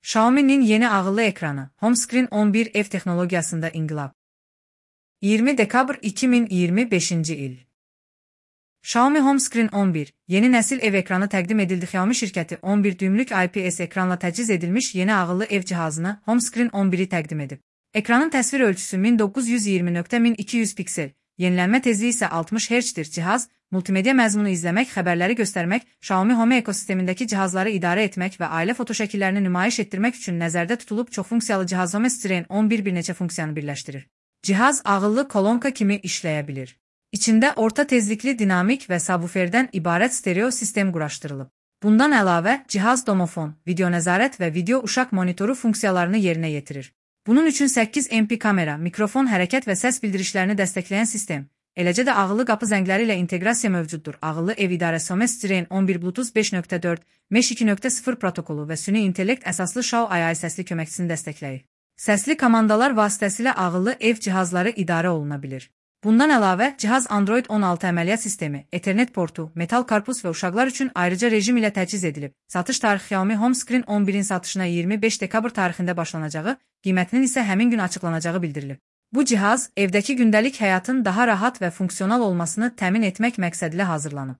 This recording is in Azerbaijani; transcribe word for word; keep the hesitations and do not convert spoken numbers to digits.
Xiaomi'nin yeni ağıllı ekranı, HomeScreen on bir F texnologiyasında inqilab. iyirmi dekabr iki min iyirmi beşinci il. Xiaomi HomeScreen on bir, yeni nesil ev ekranı təqdim edildi. Xiaomi şirkəti on bir düymlük I P S ekranla təchiz edilmiş yeni ağıllı ev cihazını HomeScreen on biri təqdim edib. Ekranın təsvir ölçüsü min doqquz yüz iyirmi nöqtə min iki yüz piksel, yenilənmə tezliyi isə altmış hertzdir. Cihaz, multimedia məzmunu izləmək, xəbərləri göstərmək, Xiaomi Home ekosistemindəki cihazları idarə etmək və ailə fotoşəkillərini nümayiş etdirmək üçün nəzərdə tutulub. Çoxfunksiyalı cihaz HomeScreen on bir bir neçə funksiyanı birləşdirir. Cihaz ağıllı kolonka kimi işləyə bilir. İçində orta tezlikli dinamik və subwooferdən ibarət stereo sistem quraşdırılıb. Bundan əlavə, cihaz domofon, video nəzarət və video uşaq monitoru funksiyalarını yerinə yetirir. Bunun üçün səkkiz M P kamera, mikrofon, hərəkət və səs bildirişlərini dəstəkləyən sistem, eləcə də ağıllı qapı zəngləri ilə inteqrasiya mövcuddur. Ağıllı ev idarəsi HomeScreen on bir Bluetooth beş nöqtə dörd, Mesh iki nöqtə sıfır protokolu və süni intellekt əsaslı Xiaomi səsli köməkçisini dəstəkləyir. Səsli komandalar vasitəsilə ağıllı ev cihazları idarə oluna bilir. Bundan əlavə, cihaz Android on altı əməliyyat sistemi, Ethernet portu, metal karpuz və uşaqlar üçün ayrıca rejim ilə təchiz edilib. Satış tarixi Xiaomi HomeScreen on birin satışına iyirmi beş dekabr tarixində başlanacağı, qiymətinin isə həmin gün açıqlanacağı bildirilib. Bu cihaz, evdəki gündəlik həyatın daha rahat və funksional olmasını təmin etmək məqsədilə hazırlanıb.